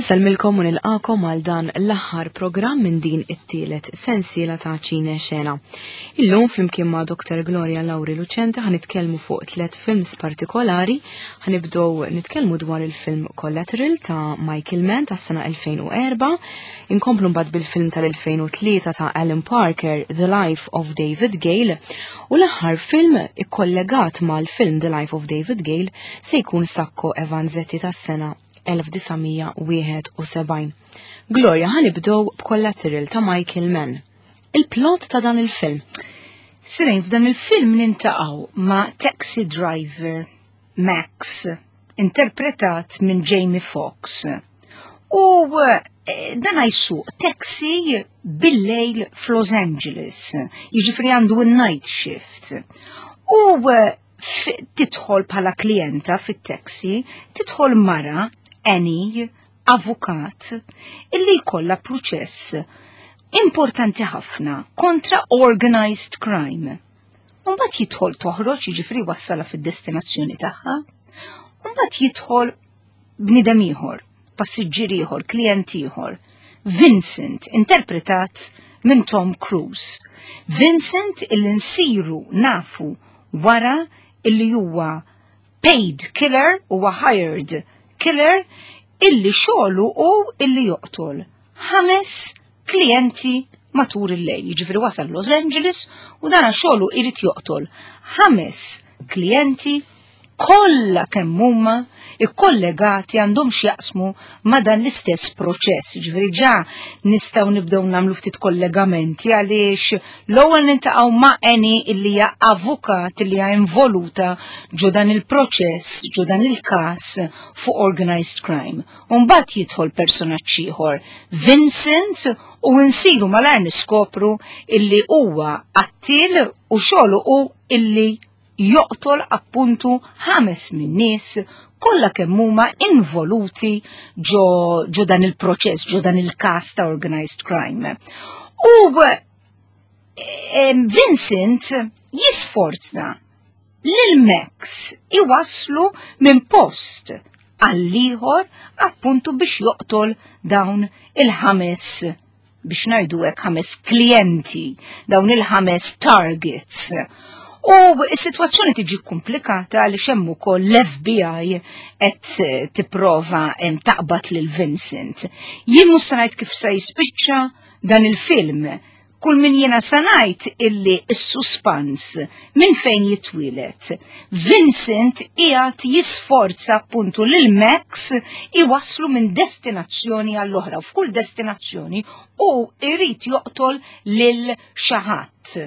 Insellmilkom u nilqakom għal dan l-aħħar programm minn din it-tielet sensiela ta' Ċine Xena. Illum flimkien ma' Dr. Gloria Lauri Lucente ħanitkellmu fuq tliet films partikolari, ħanibdew nitkellmu dwar il-film Collateral ta' Michael Mann tas-sena 2004, inkomplu mbagħad bil-film tal-2003 ta' Alan Parker The Life of David Gale u l-aħħar film ikkollegat mal-film The Life of David Gale se jkun Sacco e Vanzetti tas-sena 1971. Gloria ħanibdew b'Collateral ta' Michael Mann. Il-plot ta' dan il-film. Sirejn f'dan il-film nintaqgħu ma' taxi driver Max, interpretat minn Jamie Foxx. U eh, dan jsuq taxi bil-lejl f'Los Angeles, jiġifieri għandu n-night shift. U eh, tidħol bħala klijenta fit-taxi, tidħol mara, Annie, avukat, illi jkollha proċess importanti ħafna kontra organized crime. Mbagħad jidħol toħroġ, jiġifieri wassala fid-destinazzjoni tagħha. Mbagħad jidħol bniedem ieħor, passiġġier ieħor, klijent ieħor. Vincent, interpretat minn Tom Cruise. Vincent illi nsiru nafu wara illi huwa paid killer, huwa hired killer, illi xogħlu hu illi joqtol ħames klijenti matul il-lejl. Jiġifieri wasal Los Angeles u dana xogħlu irid joqtol ħames klijenti kollha kemm huma ikkollegati għandhom x'jaqsmu ma' dan l-istess proċess. Ġifieri ġa nistgħu nibdew nagħmlu ftit kollegamenti għaliex l-ewwel nintaqgħu ma' Annie illi hija avukat illi hija involuta ġo dan il-proċess, ġo dan il-każ fuq organized crime. U mbagħad jidħol personaġġ ieħor, Vincent, u nsiru malajr niskopru illi huwa qattiel u xogħlu hu illi joqtol appuntu ħames min-nies kollha kemm huma involuti ġo, ġo dan il-proċess, ġo dan il-każ ta' organized crime. U Vincent jisforza lil Max iwaslu minn post għall-ieħor appuntu biex joqtol dawn il-ħames biex ngħidu hekk ħames klijenti, dawn il-ħames targets. U s-sitwazzjoni tiġi komplikata għaliex hemm ukoll l-FBI qed tipprova taqbad lil Vincent. Jien mhux se ngħid kif se jispiċċa dan il-film. Kull min jiena se ngħid illi s-suspans minn fejn jitwieled. Vincent qiegħed jisforza appuntu lil Max iwasslu minn destinazzjoni għall-oħra u f'kull destinazzjoni u irid joqtol lil xi ħadd.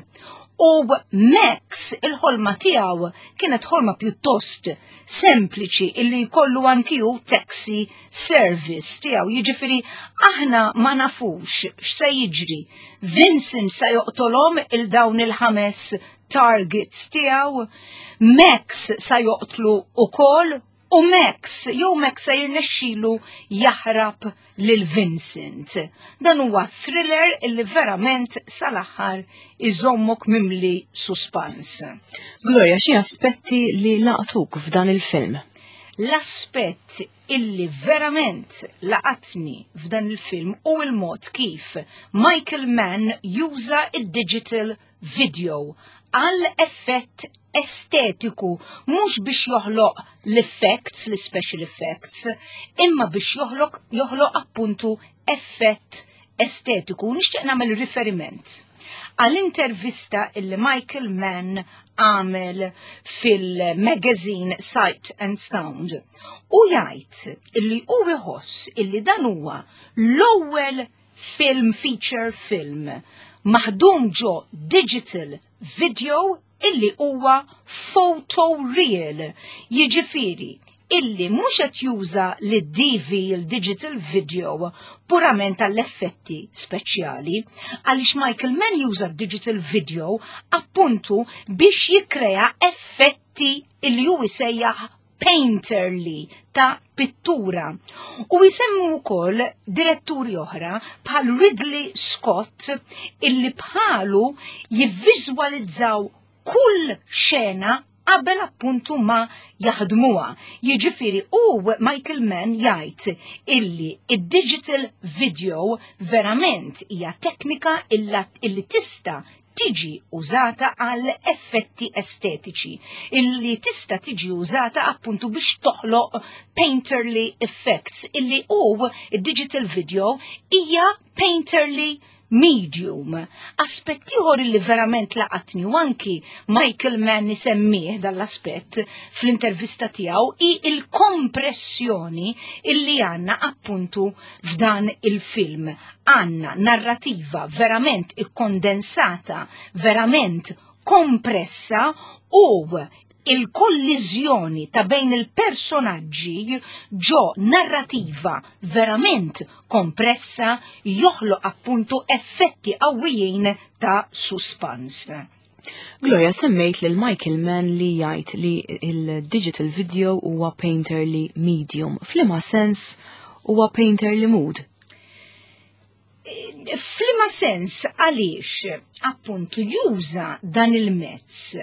U Max il-ħolma tiegħu kienet ħolma pjuttost sempliċi illi jkollu anki hu taxi service tiegħu. Jiġifieri aħna ma nafux x'se jiġri. Vincent se joqtolhom il dawn il-ħames targets tiegħu, Max sa joqtlu ukoll u Max jew Max se jirnexxilu jaħrab lil Vincent. Dan huwa thriller illi verament sal-aħħar iżommok mimli suspans. Gloria, xi aspetti li laqtuk f'dan il-film? L-aspett illi verament laqatni f'dan il-film u il-mod kif Michael Mann juża id-digital video għal effett estetiku, mhux biex joħloq l-effects, l-special effects, imma biex joħloq joħloq appuntu effett estetiku. Nixtieq nagħmel riferiment għal intervista illi Michael Mann għamel fil-magazine Sight and Sound. U jgħid illi hu iħoss illi dan huwa l-ewwel film feature film maħdum ġo digital video illi huwa photo real. Jiġifieri illi mhux qed juża l-DV il-digital video purament għall-effetti speċjali, għaliex Michael Mann juża digital video appuntu biex jikkrea effetti illi hu jsejjaħ painterly ta' pittura. U jsemmu wkoll diretturi oħra bħal Ridley Scott illi bħalu jivviżwalizzaw kull xena. qabel appuntu ma jaħdmuha. Jiġifieri u Michael Mann jgħid illi id-digital video verament hija teknika illi tista' tiġi użata għal effetti estetiċi, illi tista' tiġi użata appuntu biex toħloq painterly effects, illi u digital video hija painterly medium. Aspett ieħor li verament laqatni u anki Michael Mann isemmih dal-aspett fl-intervista tiegħu hi il-kompressjoni illi għandna appuntu f'dan il-film. Għandna narrativa verament ikkondensata, verament kompressa u il-kolliżjoni ta' bejn il-personaġġi ġo narrativa verament kompressa joħloq appuntu effetti qawwijin ta' suspans. Gloria, semmejt lil Michael Mann li jgħid li il-digital video huwa painterly medium. F'liema sens huwa painterly mood? F'liema sens għaliex appuntu juża dan il-mezz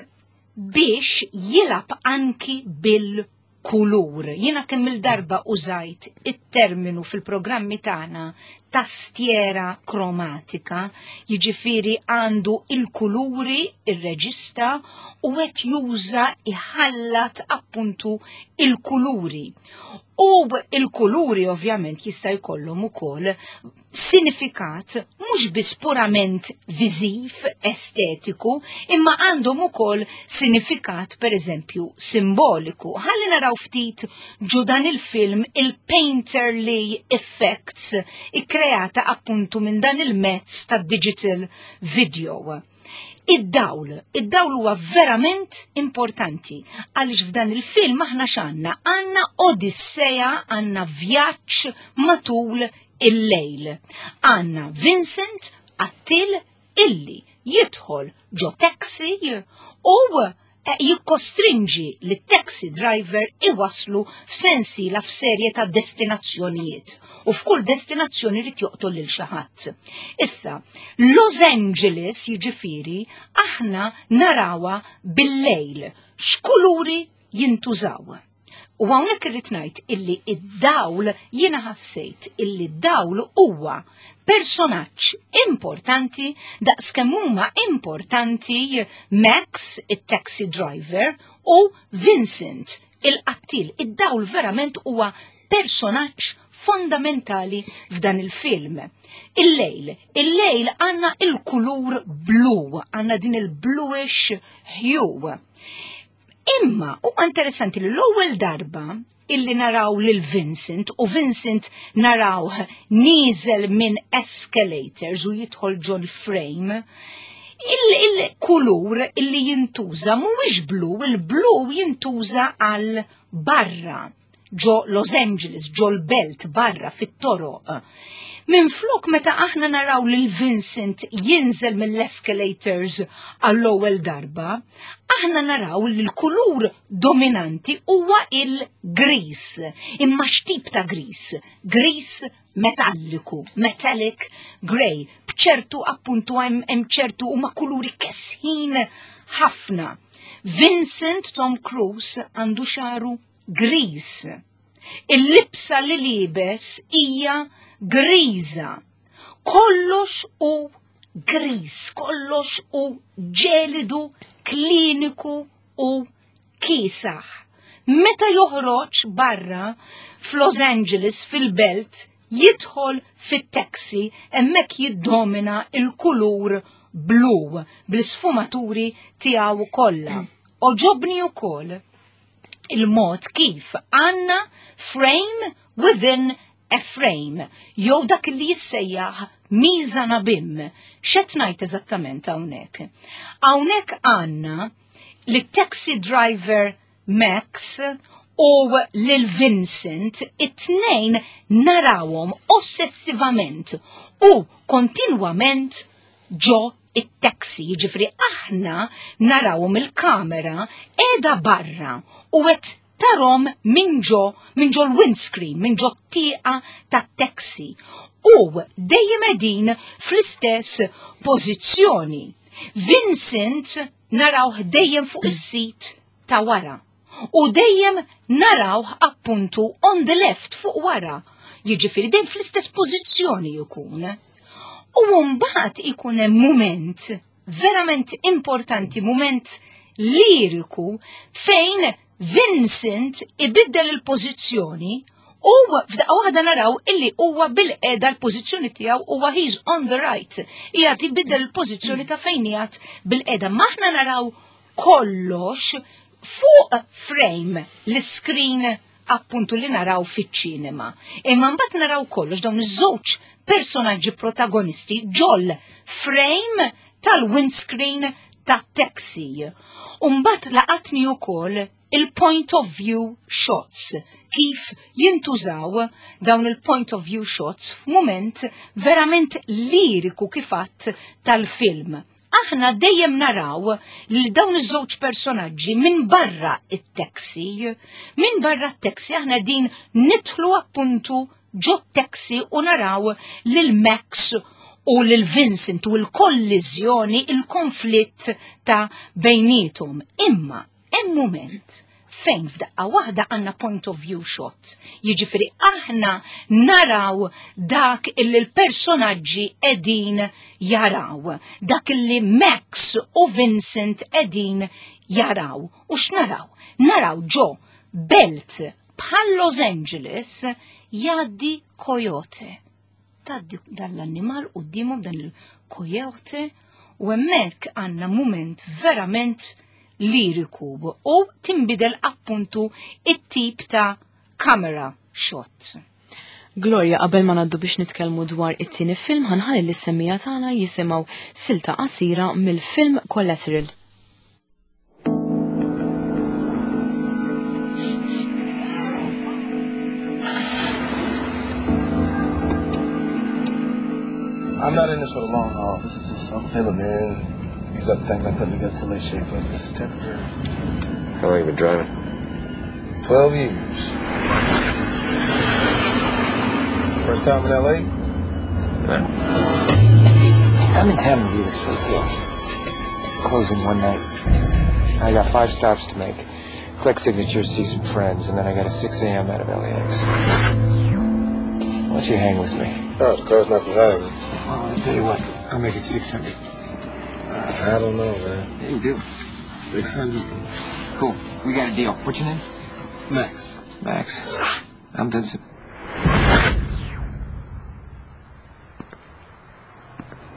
biex jilgħab anki bil-kulur. Jiena kemm il-darba użajt it-terminu fil-programmi tagħna tastiera kromatika, jiġifieri għandu il-kuluri, ir-reġista u qed juża iħallat appuntu il-kuluri. U il-kuluri ovvjament jista' jkollhom ukoll sinifikat mhux biss purament viżiv, estetiku, imma għandhom ukoll sinifikat pereżempju simboliku. Ħalli naraw ftit ġo dan il-film il-painterly effects ikkreata appuntu minn dan il-mezz ta' digital video. Id-dawl, id-dawl huwa verament importanti għaliex f'dan il-film aħna x'għandna? Għandna odisseja, għandna vjaġġ matul il-lejl. Għandna Vincent qattil illi jidħol ġo taxi u jikkostrinġi li taxi driver iwaslu f'sensiela f'serje ta' destinazzjonijiet u f'kull destinazzjoni li joqtol lil xi ħadd. Issa, Los Angeles jiġifieri aħna narawha bil-lejl x'kuluri jintużaw. U hawnhekk irrid ngħid illi id-dawl jiena ħassejt illi d-dawl huwa personaġġ importanti daqs kemm huma importanti Max, it-taxi driver, u Vincent, il-qattil. Id-dawl verament huwa personaġġ fondamentali f'dan il-film. Il-lejl, il-lejl għandna il-kulur blu, għandna din il-bluish hue. Imma huwa interessanti li l-ewwel darba illi naraw lil Vincent u Vincent narawh nieżel minn escalators u jidħol ġol frame, il-kulur illi jintuża mhuwiex blu, il-blu jintuża għal barra ġo Los Angeles, ġo l-belt barra fit-toroq. Minn flok meta aħna naraw lil Vincent jinżel mill-escalators għall-ewwel darba, aħna naraw li l-kulur dominanti huwa il-gris. Imma x'tip ta' gris? Gris metalliku, metallic grey, b'ċertu appuntu hemm ċertu huma kuluri kesħin ħafna. Vincent Tom Cruise għandu xaru gris. Il-libsa li liebes hija griża. Kollox hu gris, kollox hu ġelidu, kliniku u kiesaħ. Meta joħroġ barra f'Los Angeles fil-belt, jidħol fit-taxi hemmhekk jiddomina il-kulur blu bl-isfumaturi tiegħu kollha. Għoġobni wkoll il-mod kif għandna frame within a frame, jew dak li jissejjaħ mise en abyme. X'qed ngħid eżattament hawnhekk? Hawnhekk għandna li taxi driver Max u lil Vincent it-tnejn narawhom ossessivament u kontinwament ġo it-taxi, jiġifieri aħna narawhom il-kamera qiegħda barra u qed tarahom minn ġo minn ġo l-windscreen, minn ġo t-tieqa tat-taxi. U dejjem qegħdin fl-istess pożizzjoni. Vincent narawh dejjem fuq is-seat. ta' wara. U dejjem narawh appuntu on the left fuq wara. Jiġifieri dejjem fl-istess pożizzjoni jkun. U mbagħad ikun hemm mument verament importanti, mument liriku fejn Vincent ibiddel il-pożizzjoni u f'daqqa waħda naraw illi huwa bil-qeda l-pożizzjoni tiegħu huwa he's on the right. Qiegħed ibiddel il-pożizzjoni ta' fejn qiegħed bil-qeda. Maħna naraw kollox fuq frame l-screen appuntu li naraw fiċ-ċinema. Imma mbagħad naraw kollox dawn iż-żewġ personaġġi protagonisti ġol frame tal-windscreen ta' taxi. U mbagħad laqatni wkoll il-point of view shots, kif jintużaw dawn il-point of view shots f'mument verament liriku kifatt tal-film. Aħna dejjem naraw li dawn iż-żewġ personaġġi minn barra it-taxi, minn barra t-taxi aħna din nidħlu appuntu ġo taxi u naraw lil Max u lil Vincent u l-kolliżjoni, il-konflitt ta' bejnietom. Imma hemm mument fejn f'daqqa waħda għandna point of view shot. Jiġifieri aħna naraw dak illi l-personaġġi qegħdin jaraw, dak illi Max u Vincent qegħdin jaraw. U x'naraw? Naraw ġo belt bħal Los Angeles jgħaddi coyote. Tgħaddi dan l-annimal quddiemhom dan il-coyote u hemmhekk għandna mument verament liriku u tinbidel appuntu it-tip ta' camera shot. Gloria, qabel ma ngħaddu biex nitkellmu dwar it-tieni film, ħanħalli lis-semmiegħa tagħna jisimgħu silta qasira mill-film Collateral. I'm not in this for the long haul. This is just some filling in. These other things I'm putting together to lay shape up. This is temporary. How long you been driving? 12 years. First time in L.A.? No. I'm in town in real estate deal. Closing one night. I got 5 stops to make. Collect signatures, see some friends, and then I got a 6 a.m. out of LAX. Why don't you hang with me? Oh, the car's not for hire. Well, I'll tell you what. I'll make it 600. I don't know, man. Yeah, you do. 600. Cool. We got a deal. What's your name? Max. Max. I'm Vincent.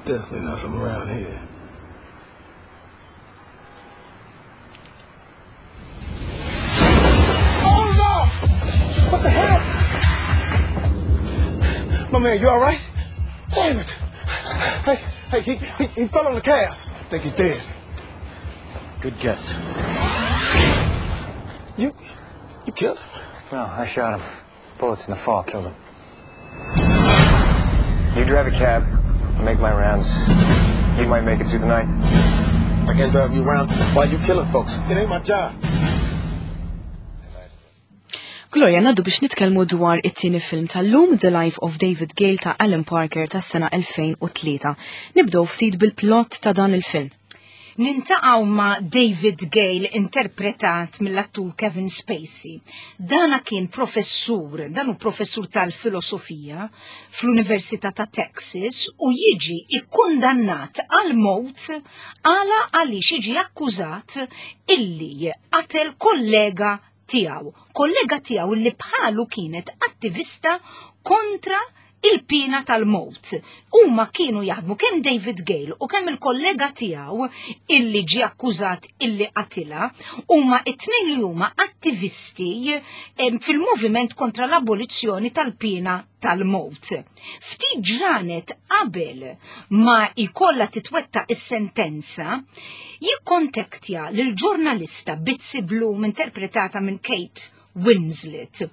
Definitely not from around here. Oh no! What the hell? My man, you all right? Damn it! Hey, hey, he fell on the cab. I think he's dead. Good guess. You killed him? No, I shot him. Bullets in the fall killed him. You drive a cab, I'll make my rounds. You might make it through the night. I can't drive you around while you killing folks. It ain't my job. Gloria, ngħaddu biex nitkellmu dwar it-tieni film tal-lum, The Life of David Gale ta' Alan Parker tas-sena 2003. Nibdew ftit bil-plot ta' dan il-film. Nintaqgħu ma' David Gale interpretat mill-attur Kevin Spacey. Dana kien professur, dan hu professur tal-filosofija fl-Università ta' Texas u jiġi ikkundannat għal mowt għala għaliex jiġi akkużat illi qatel kollega tiegħu, kollega tiegħu li bħalu kienet attivista kontra il-pina tal-mowt. Huma kienu jaħdmu kemm David Gale u kemm il-kollega tiegħu illi ġie akkużat illi qatilha, huma it-tnejn li huma attivisti fil-moviment kontra l-abolizzjoni tal-pina tal-mowt. Ftit ġranet qabel ma jkollha titwettaq is-sentenza, jikkontaktja lil ġurnalista Bitsy Bloom interpretata minn Kate Winslet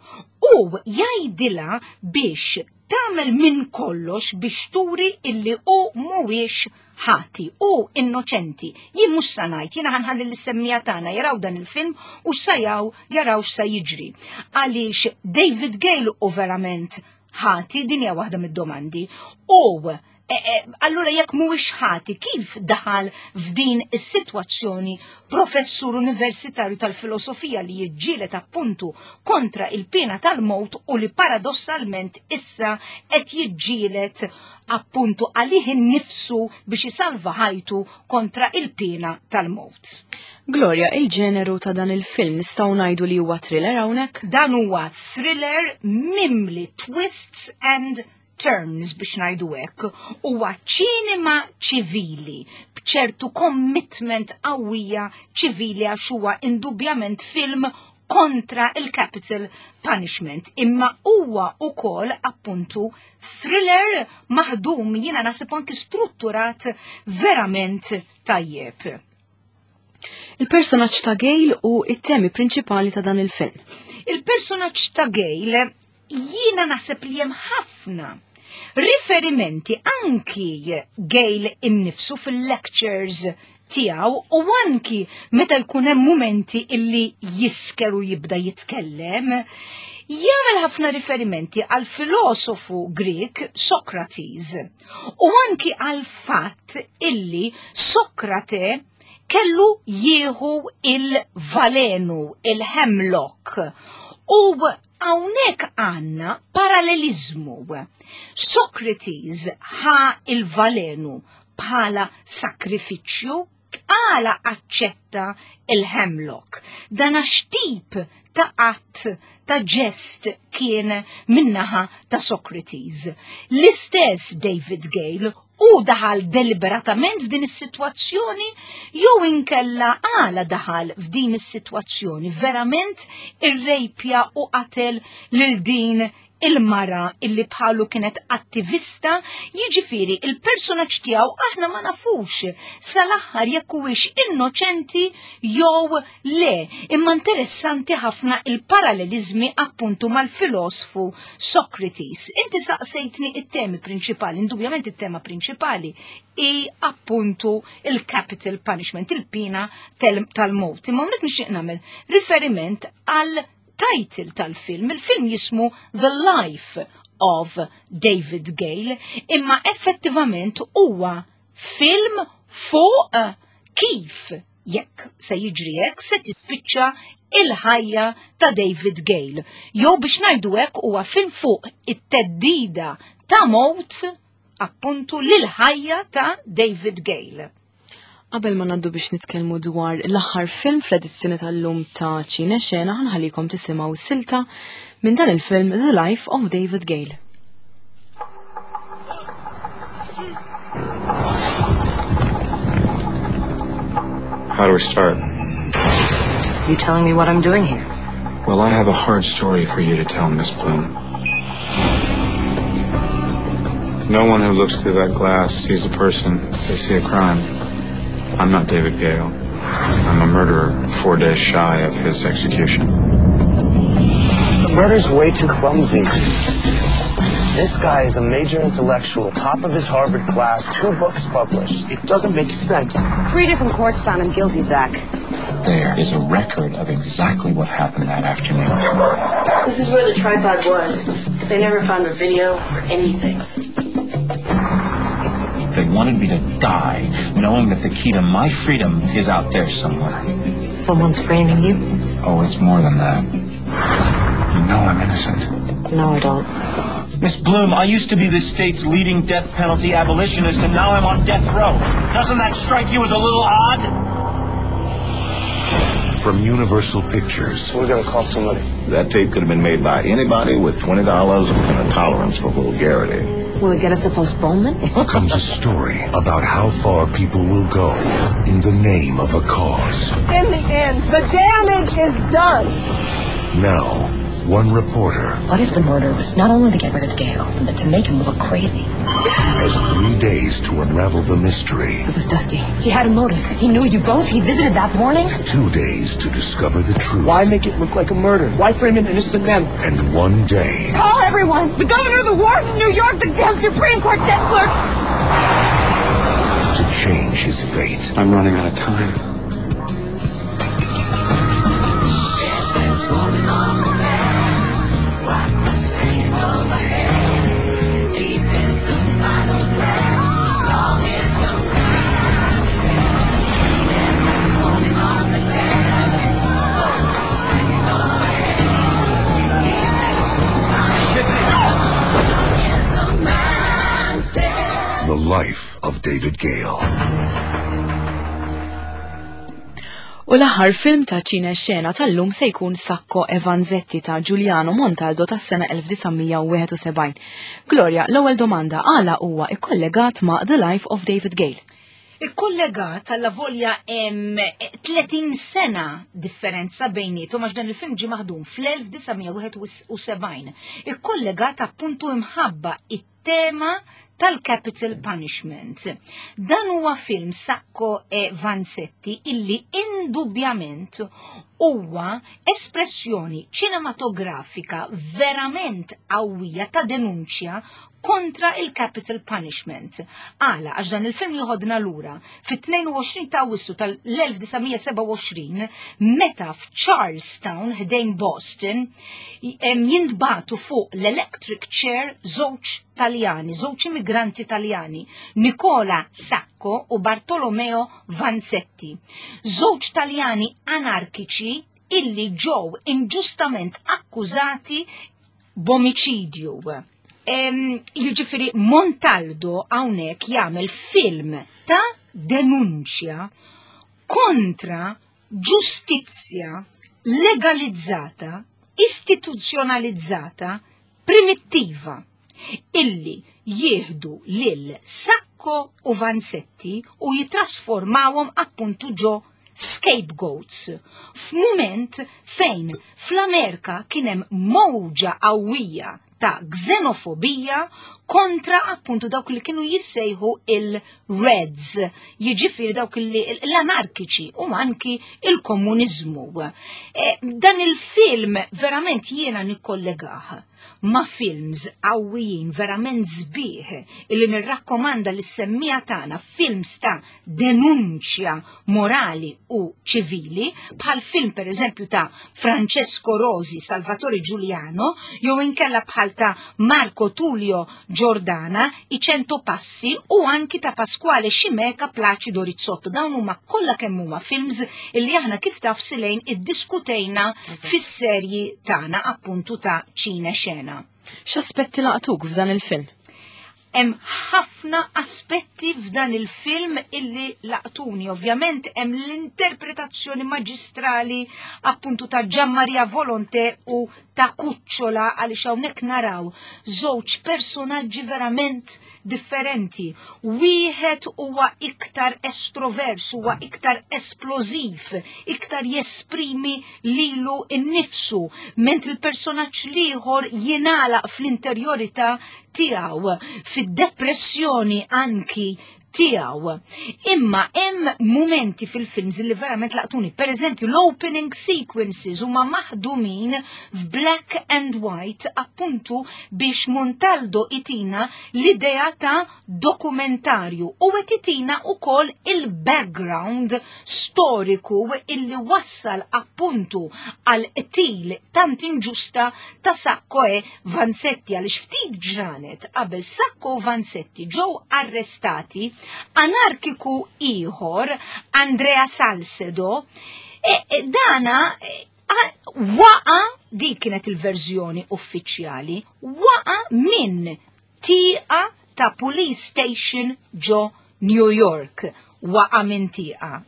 u jgħidilha biex tagħmel minn kollox biex turi illi hu mhuwiex ħati u innoċenti. Jien mhux sa ngħid, jiena ħanħalli lis-semmija tagħna jaraw dan il-film u x'sajaw jaraw x'sa jiġri. Għaliex David Gale u verament ħati, din hija waħda mid-domandi. U E, e, allura jekk mhuwiex ħati, kif daħal f'din is-sitwazzjoni professur universitarju tal-filosofija li jiġġieled appuntu kontra il-pena tal-mowt u li paradossalment issa qed jiġġieled appuntu għalih innifsu biex isalva ħajtu kontra il-pena tal-mowt. Gloria, il-ġeneru ta' dan il-film nistgħu ngħidu li huwa thriller hawnhekk? Dan huwa thriller mimli twists and turns biex ngħidu hekk, huwa ċinema ċivili b'ċertu commitment qawwija ċivili għax huwa indubjament film kontra il-capital punishment, imma huwa ukoll appuntu thriller maħdum jiena naħseb anki strutturat verament tajjeb. Il-personaġġ ta' Gale u it-temi prinċipali ta' dan il-film. Il-personaġġ ta' Gale jiena naħseb li hemm ħafna riferimenti anki Gale innifsu fil-lectures tiegħu u anki meta jkun hemm mumenti illi jisker u jibda jitkellem, jagħmel ħafna riferimenti għal filosofu Grek Socrates u anki għal fatt illi Sokrate kellu jieħu il-valenu, il-hemlock. U hawnhekk għandna parallelizmu. Socrates ħa il-valenu bħala sakrifiċċju għala aċċetta il-hemlock. Dan għax tip ta' att ta' ġest kien minnaħa ta' Socrates. L-istess David Gale u daħal deliberatament f'din is-sitwazzjoni jew inkella għala daħal f'din is-sitwazzjoni verament irrejpja u qatel lil din il-mara illi bħalu kienet attivista, jiġifieri il-personaġġ tiegħu aħna ma nafux sal-aħħar jekk huwiex innoċenti jew le, imma interessanti ħafna il-parallelizmi appuntu mal-filosfu Socrates. Inti saqsejtni it-temi prinċipali, indubjament it-tema prinċipali i appuntu il-capital punishment, il-pina tal-mowt. Imma hawnhekk nixtieq nagħmel riferiment għal title tal-film. Il-film jismu The Life of David Gale, imma effettivament huwa film fuq kif jekk se jiġri hekk se tispiċċa il-ħajja ta' David Gale. Jew biex ngħidu hekk huwa film fuq it-teddida ta' mowt appuntu lil ħajja ta' David Gale. Qabel ma naddu biex nitkellmu dwar l-aħħar film fl-edizzjoni tal-lum ta' Ċine Xena, ħanħallikom tisimgħu silta minn dan il-film The Life of David Gale. How do we start? You telling me what I'm doing here? Well, I have a hard story for you to tell, Miss Bloom. No one who looks through that glass sees a person. They see a crime. I'm not David Gale. I'm a murderer 4 days shy of his execution. The murder's way too clumsy. This guy is a major intellectual, top of his Harvard class, 2 books published. It doesn't make sense. 3 different courts found him guilty, Zach. There is a record of exactly what happened that afternoon. This is where the tripod was. They never found a video or anything. They wanted me to die, knowing that the key to my freedom is out there somewhere. Someone's framing you? Oh, it's more than that. You know I'm innocent. No, I don't. Miss Bloom, I used to be this state's leading death penalty abolitionist, and now I'm on death row. Doesn't that strike you as a little odd? From Universal Pictures. We're going to call somebody. That tape could have been made by anybody with $20 and a tolerance for vulgarity. Will it get us a postponement? Comes a story about how far people will go in the name of a cause. In the end, the damage is done. Now, one reporter. What if the murder was not only to get rid of Gale, but to make him look crazy? Has 3 days to unravel the mystery. It was Dusty. He had a motive. He knew you both. He visited that morning. 2 days to discover the truth. Why make it look like a murder? Why frame an innocent man? And 1 day. Call everyone! The governor, the warden of New York, the damn Supreme Court desk clerk! To change his fate. I'm running out of time. The Life of David Gale. U l-aħħar film ta' ċine xena tal-lum se jkun Sacco e Vanzetti ta' Giuliano Montaldo tas-sena 1971. Gloria, l-ewwel domanda għala huwa ikkollegat ma' The Life of David Gale. Ikkollegat alla volja hemm 30 sena differenza bejnietom għax dan il-film ġie maħdum fl-1971. Ikkollegat appuntu imħabba it-tema tal-capital punishment. Dan huwa film Sacco e Vanzetti illi indubjament huwa espressjoni ċinematografika verament qawwija ta' denunċja kontra il-capital punishment. Għala, għax dan il-film joħodna lura fit-22 ta' Awwissu tal-1927 meta f'Charlestown ħdejn Boston jintbatu fuq l-electric chair żewġ Taljani, żewġ immigranti Taljani, Nicola Sacco u Bartolomeo Vanzetti. Żewġ Taljani anarkiċi illi ġew inġustament akkużati b'omiċidju. Jiġifieri Montaldo hawnhekk jagħmel film ta' denunċja kontra ġustizzja legalizzata, istituzzjonalizzata, primittiva illi jieħdu lil Sacco u Vanzetti u jitrasformawhom appuntu ġo scapegoats f'mument fejn fl-Amerika kien hemm mowġa qawwija ta' xenofobija kontra appuntu dawk li kienu jissejħu il-Reds, jiġifieri dawk li l-anarkiċi u anki il-komuniżmu. E, dan il-film verament jiena nikkollegah ma' films qawwijin verament sbieħ illi nirrakkomanda lis semmija tagħna films ta' denunċja morali u ċivili bħal film pereżempju ta' Francesco Rosi, Salvatore Giuliano, jew inkella bħal ta' Marco Tullio Giordana, I Cento Passi u anki ta' Pasquale Scimeca Placido Rizzotto. Dawn huma kollha kemm huma films illi aħna kif taf Silejn iddiskutejna fis-serji tagħna appuntu ta' ċine xena. X'aspetti laqtuk f'dan il-film? Hemm ħafna aspetti f'dan il-film illi laqtuni. Ovvjament hemm l-interpretazzjoni maġistrali appuntu ta' Gian Maria Volonté u ta' Kuċċola għaliex hawnhekk naraw żewġ personaġġi verament differenti. Wieħed huwa iktar estrovers, huwa iktar esplożiv, iktar jesprimi lilu nnifsu, mentri l-personaġġ l-ieħor jingħalaq fl-interjorità tiegħu, fid-depressjoni anki tiegħu. Imma hemm mumenti fil-films li verament laqtuni. Per eżempju, l-opening sequences huma maħdumin f'black and white appuntu biex Montaldo itina l-idea ta' dokumentarju u qed itina wkoll il-background storiku illi wassal appuntu għal qtil tant inġusta ta' Sacco e Vanzetti għaliex ftit ġranet qabel Sacco u Vanzetti ġew arrestati anarkiku ieħor Andrea Salcedo e, e, dana e, waqa dik kienet il-verżjoni uffiċjali waqa minn tieqa ta' police station ġo New York waqa minn tieqa.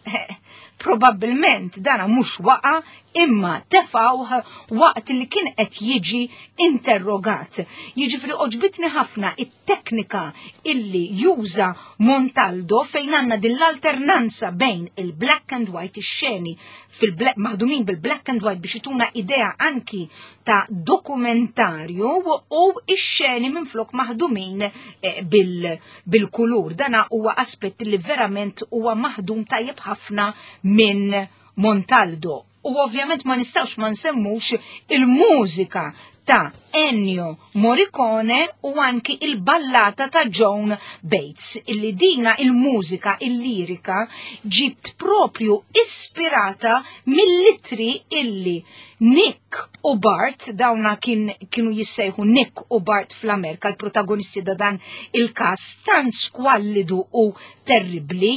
Probabbilment dana mhux waqa imma tefawh waqt li kien qed jiġi interrogat. Jiġifieri oġbitni ħafna it-teknika illi juża Montaldo fejn għandna din l-alternanza bejn il-black and white ix-xeni fil-black maħdumin bil-black and white biex ituna idea anki ta' dokumentarju u ix-xeni minflok maħdumin eh, bil-kulur. Dana huwa aspett li verament huwa maħdum tajjeb ħafna minn Montaldo. U ovvjament ma nistawx ma nsemmux il-mużika ta' Ennio Morricone u anki il-ballata ta' Joan Bates, illi dina il-mużika, il-lirika, ġibt propju ispirata mill-litri illi Nick u Bart, dawna kien, kienu jissejħu Nick u Bart fl-Amerika, l-protagonisti da dan il-kas tant skwallidu u terribli.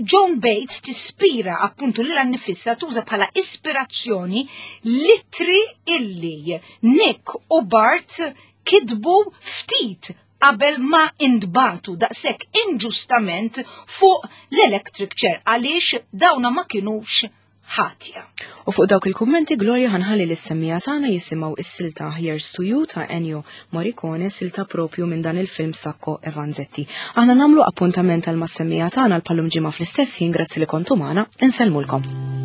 John Bates tispira appuntu lil nifissa tuża bħala ispirazzjoni litri illi Nick u Bart kitbu ftit qabel ma intbagħtu daqshekk inġustament fuq l-electric chair għaliex dawna ma kinux ħatja. U fuq dawk il-kummenti Gloria ħanħalli lis-semmija tagħna jisimgħu is-silta Here's to You ta' Ennio Morricone, silta propju minn dan il-film Sacco e Vanzetti. Aħna nagħmlu appuntament għal mas-semmija tagħna l-pallum ġimgħa fl-istess ħin grazzi li kontu magħna, insellmulkom.